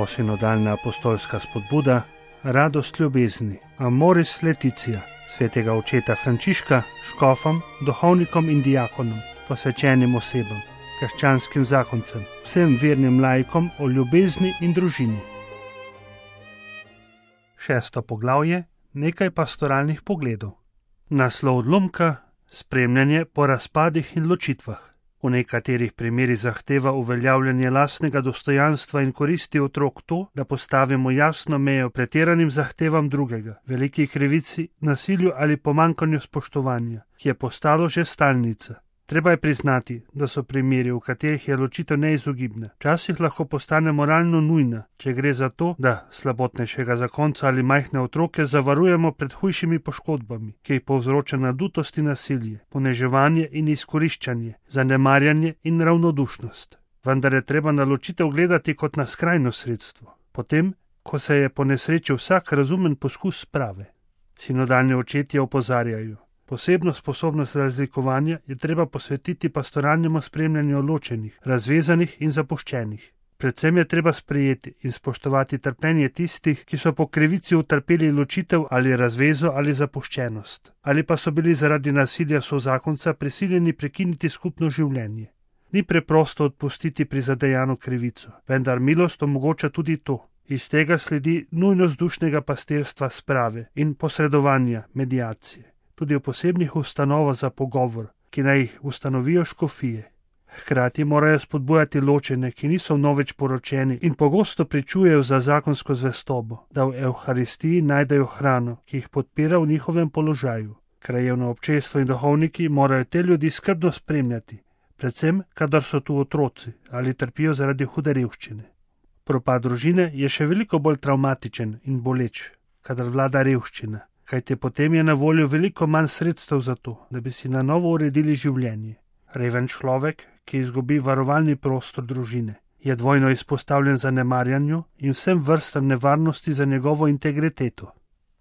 Posinodalna apostolska spodbuda, radost ljubezni, Amoris Laetitia, svetega očeta Frančiška, škofom, duhovnikom in diakonom, posvečenim osebam, krščanskim zakoncem, vsem vernim laikom o ljubezni in družini. 6. poglavje, nekaj pastoralnih pogledov. Naslov odlomka, spremljanje po razpadih in ločitvah. V nekaterih primerih zahteva uveljavljanje lastnega dostojanstva in koristi otrok to, da postavimo jasno mejo pretiranim zahtevam drugega, veliki krivici, nasilju ali pomanjkanju spoštovanja, ki je postalo že stalnica. Treba je priznati, da so primeri, v katerih je ločitev neizogibna. Včasih lahko postane moralno nujna, če gre za to, da slabotnejšega zakonca ali majhne otroke zavarujemo pred hujšimi poškodbami, ki jih povzroča nadutost in nasilje, poneževanje in izkoriščanje, zanemarjanje in ravnodušnost. Vendar je treba na ločitev gledati kot na skrajno sredstvo, potem, ko se je ponesrečil vsak razumen poskus sprave. Sinodalni očetje opozarjajo: posebno sposobnost razlikovanja je treba posvetiti pastoralnemu spremljanju ločenih, razvezanih in zapuščenih. Predvsem je treba sprejeti in spoštovati trpljenje tistih, ki so po krivici utrpeli ločitev ali razvezo ali zapuščenost, ali pa so bili zaradi nasilja sozakonca prisiljeni prekiniti skupno življenje. Ni preprosto odpustiti prizadejano krivico, vendar milost omogoča tudi to. Iz tega sledi nujnost dušnega pastirstva sprave in posredovanja, mediacije. Tudi v posebnih ustanovah za pogovor, ki naj jih ustanovijo škofije. Hkrati morajo spodbujati ločene, ki niso vnovič poročeni in pogosto pričujejo za zakonsko zvestobo, da v Evharistiji najdejo hrano, ki jih podpira v njihovem položaju. Krajevno občestvo in duhovniki morajo te ljudi skrbno spremljati, predvsem, kadar so tu otroci ali trpijo zaradi hude revščine. Propad družine je še veliko bolj travmatičen in boleč, kadar vlada revščina, kajte potem je na voljo veliko manj sredstev za to, da bi si na novo uredili življenje. Reven človek, ki izgubi varovalni prostor družine, je dvojno izpostavljen zanemarjanju in vsem vrstam nevarnosti za njegovo integriteto.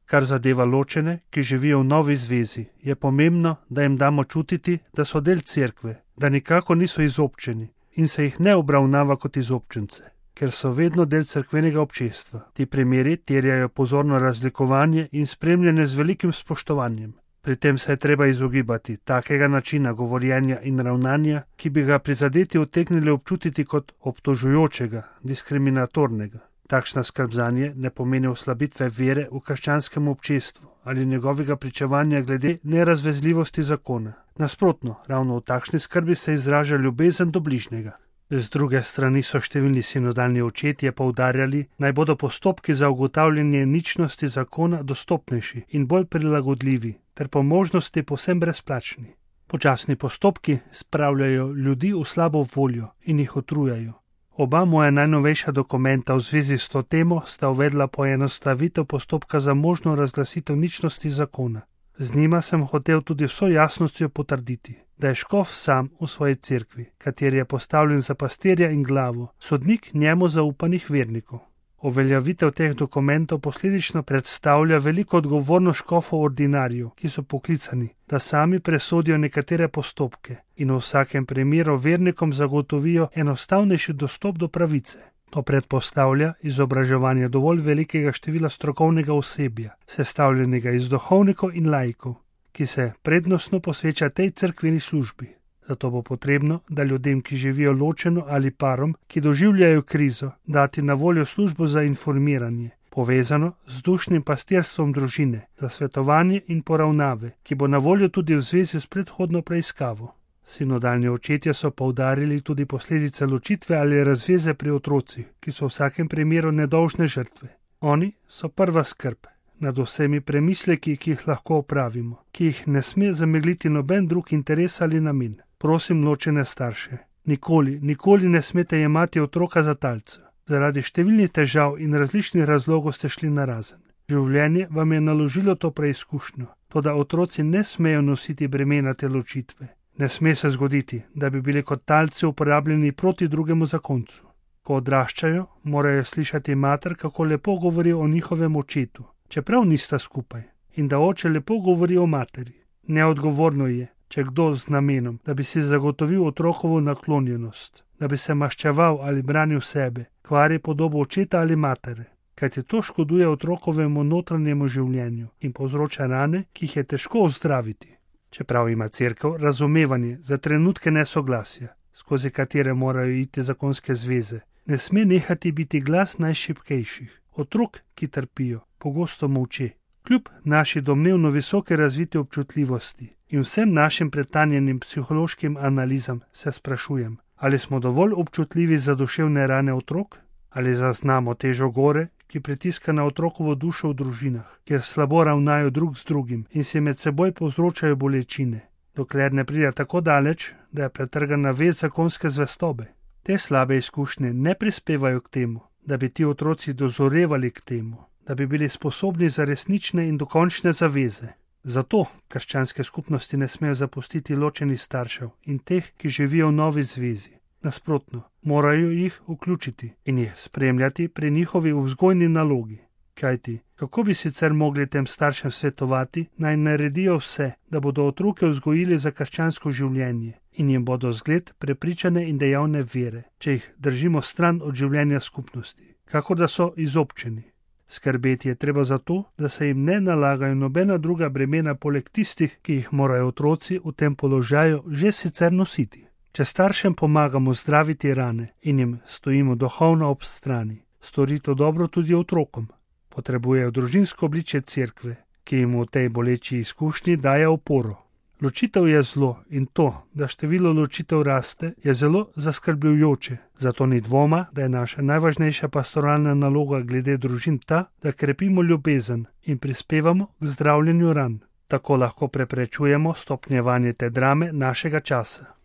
Kar zadeva ločene, ki živijo v novi zvezi, je pomembno, da jim damo čutiti, da so del cerkve, da nikako niso izobčeni in se jih ne obravnava kot izobčence, ker so vedno del cerkvenega občestva. Ti primeri terjajo pozorno razlikovanje in spremljanje z velikim spoštovanjem. Pri tem se je treba izogibati takega načina govorjenja in ravnanja, ki bi ga prizadeti utegnili občutiti kot obtožujočega, diskriminatornega. Takšna skrb zanje ne pomeni oslabitve vere v krščanskem občestvu ali njegovega pričevanja glede nerazvezljivosti zakona. Nasprotno, ravno v takšni skrbi se izraža ljubezen do bližnjega. Z druge strani so številni sinodalni očetje poudarjali, naj bodo postopki za ugotavljanje ničnosti zakona dostopnejši in bolj prilagodljivi, ter po možnosti povsem brezplačni. Počasni postopki spravljajo ljudi v slabo voljo in jih utrujajo. Oba moja najnovejša dokumenta v zvezi s to temo sta uvedla poenostavitev postopka za možno razglasitev ničnosti zakona. Z njima sem hotel tudi vso jasnostjo potrditi, da je škof sam v svoji cerkvi, kateri je postavljen za pastirja in glavo, sodnik njemu zaupanih vernikov. Uveljavitev teh dokumentov posledično predstavlja veliko odgovornost škofov ordinarjev, ki so poklicani, da sami presodijo nekatere postopke in v vsakem primeru vernikom zagotovijo enostavnejši dostop do pravice. To predpostavlja izobraževanje dovolj velikega števila strokovnega osebja, sestavljenega iz duhovnikov in laikov, ki se prednostno posveča tej cerkveni službi. Zato bo potrebno, da ljudem, ki živijo ločeno ali parom, ki doživljajo krizo, dati na voljo službo za informiranje, povezano z dušnim pastirstvom družine, za svetovanje in poravnave, ki bo na voljo tudi v zvezi s predhodno preiskavo. Sinodalni očetje so poudarili tudi posledice ločitve ali razveze pri otrocih, ki so v vsakem primeru nedolžne žrtve. Oni so prva skrb nad vsemi premisleki, ki jih lahko opravimo, ki jih ne sme zamegliti noben drug interes ali namen. Prosim ločene starše, nikoli ne smete jemati otroka za talca. Zaradi številnih težav in različnih razlogov ste šli narazen. Življenje vam je naložilo to preizkušnjo, toda otroci ne smejo nositi bremena te ločitve. Ne sme se zgoditi, da bi bili kot talci uporabljeni proti drugemu zakoncu. Ko odraščajo, morajo slišati mater, kako lepo govori o njihovem očetu, čeprav nista skupaj, in da oče lepo govori o materi. Neodgovorno je, če kdo z namenom, da bi si zagotovil otrokovo naklonjenost, da bi se maščeval ali branil sebe, kvari podobo očeta ali matere, kajti to škoduje otrokovemu notranjemu življenju in povzroča rane, ki jih je težko ozdraviti. Čeprav ima Cerkev razumevanje za trenutke nesoglasja, skozi katere morajo iti zakonske zveze, ne sme nehati biti glas najšibkejših, otrok, ki trpijo, pogosto molče. Kljub naši domnevno visoke razviti občutljivosti in vsem našim pretanjenim psihološkim analizam se sprašujem, ali smo dovolj občutljivi za duševne rane otrok, ali zaznamo težo gore, ki pritiska na otrokovo dušo v družinah, kjer slabo ravnajo drug z drugim in si med seboj povzročajo bolečine, dokler ne pride tako daleč, da je pretrgana vez zakonske zvestobe. Te slabe izkušnje ne prispevajo k temu, da bi ti otroci dozorevali k temu, da bi bili sposobni za resnične in dokončne zaveze. Zato krščanske skupnosti ne smejo zapustiti ločenih staršev in teh, ki živijo v novi zvezi. Nasprotno, morajo jih vključiti in jih spremljati pri njihovi vzgojni nalogi. Kajti, kako bi sicer mogli tem staršem svetovati, naj naredijo vse, da bodo otroke vzgojili za krščansko življenje in jim bodo zgled prepričane in dejavne vere, če jih držimo stran od življenja skupnosti, kakor da so izobčeni. Skrbeti je treba za to, da se jim ne nalagajo nobena druga bremena poleg tistih, ki jih morajo otroci v tem položaju že sicer nositi. Če staršem pomagamo zdraviti rane in jim stojimo duhovno ob strani, stori to dobro tudi otrokom. Potrebujejo družinsko obličje Cerkve, ki jim v tej boleči izkušnji daje oporo. Ločitev je zlo in to, da število ločitev raste, je zelo zaskrbljujoče. Zato ni dvoma, da je naša najvažnejša pastoralna naloga glede družin ta, da krepimo ljubezen in prispevamo k zdravljenju ran. Tako lahko preprečujemo stopnjevanje te drame našega časa.